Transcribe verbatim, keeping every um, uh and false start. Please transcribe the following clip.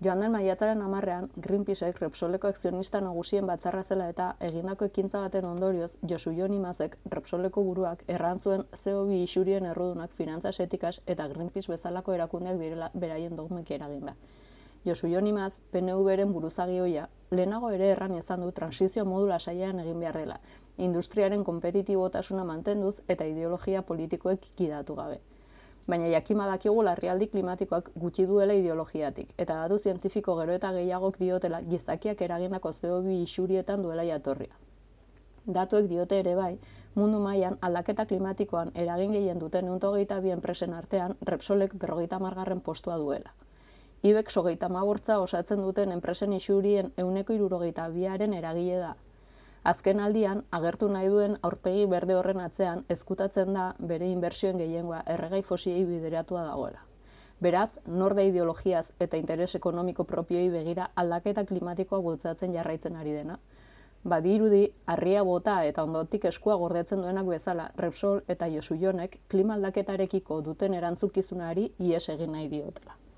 Joan den maiatzaren hamarrean, Greenpeacek Repsoleko akzionista nagusien batzarra zela eta egindako ekintza baten ondorioz, Josu Jon Imazek, Repsoleko buruak, erran zuen C O bi isurien errudunak finantzas etikaz eta Greenpeace bezalako erakundeak direla beraien dogmek eraginda. Josu Jon Imaz, P N V-ren buruzagi ohia, lehenago ere erran izan du transizio modu lasaian egin behar dela, industriaren konpetitibotasuna mantenduz eta ideologia politikoek kidatu gabe. Baina jakin badakigu larrialdi klimatikoak gutxi duela ideologiatik, eta datu zientifiko gero eta gehiagok diotela gizakiak eragindako C O bi isurietan duela jatorria. Datuek diote ere bai, mundu mailan aldaketa klimatikoan eragin gehien duten ehun eta hogeita bi enpresen artean Repsolek berrogeita hamargarren postua duela. Ibex hogeita hamabortza osatzen duten enpresen isurien ehuneko hirurogeita biaren eragile da. Azken aldian, agertu nahi duen aurpegi berde horren atzean ezkutatzen da bere inbertsioen gehiengoa erregai fosilei bideratua dagoela. Beraz, nor da ideologiaz eta interes ekonomiko propioei begira aldaketa klimatikoa bultzatzen jarraitzen ari dena. Badirudi, harria bota eta ondotik eskua gordetzen duenak bezala Repsol eta Josu Jonek klima aldaketarekiko duten erantzukizunari ihes egin nahi diotela.